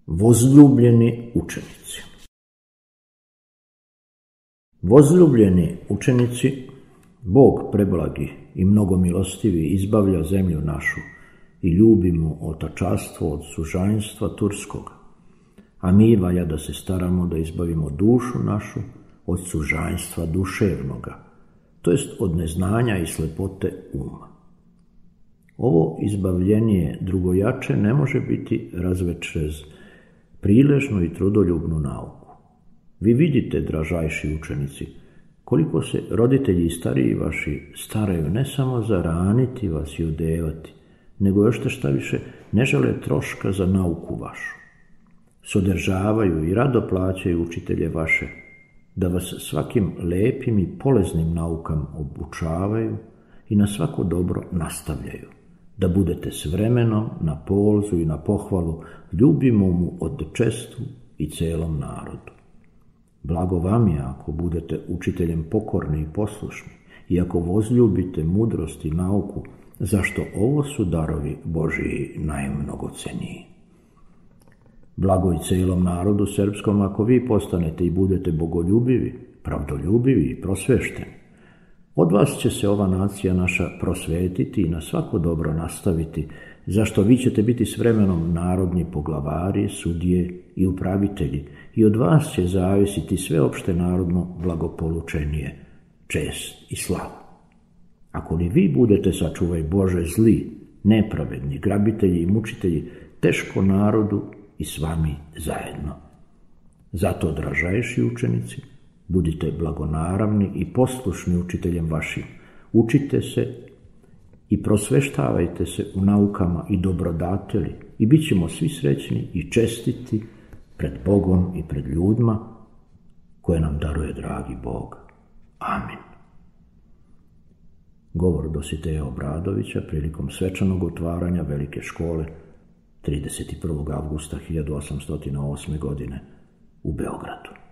Vozljubljeni učenici. Vozljubljeni učenici, Bog preblagi i mnogomilostivi izbavlja zemlju našu i ljubimo otačastvo od sužanjstva turskog, a mi valja da se staramo da izbavimo dušu našu od sužanjstva duševnoga, to jest od neznanja i slepote uma. Ovo izbavljenje drugojače ne može biti razvečez priležnu i trudoljubnu nauku. Vi vidite, dražajši učenici, koliko se roditelji i stariji vaši staraju ne samo zaraniti vas i odevati, nego još te šta više ne žele troška za nauku vašu. Sodržavaju i rado plaćaju učitelje vaše, da vas svakim lepim i poleznim naukam obučavaju i na svako dobro nastavljaju, da budete s vremenom na polzu i na pohvalu ljubimomu odčestvu i celom narodu. Blago vam je ako budete učiteljem pokorni i poslušni i ako vozljubite mudrost i nauku, zašto ovo su darovi Božiji najmnogoceniji. Blago i celom narodu srpskom ako vi postanete i budete bogoljubivi, pravdoljubivi i prosvešteni. Od vas će se ova nacija naša prosvetiti i na svako dobro nastaviti, zašto vi ćete biti s vremenom narodni poglavari, sudije i upravitelji i od vas će zavisiti sveopšte narodno blagopolučenije, čest i slava. Ako li vi budete, sačuvaj Bože, zli, nepravedni, grabitelji i mučitelji, teško narodu i s vami zajedno. Zato, dražajši učenici, budite blagonaravni i poslušni učiteljem vašim. Učite se i prosveštavajte se u naukama i dobrodateli i bit ćemo svi srećni i čestiti pred Bogom i pred ljudima koje nam daruje dragi Bog. Amin. Govor Dositeja Obradovića prilikom svečanog otvaranja Velike škole 31. avgusta 1808. godine u Beogradu.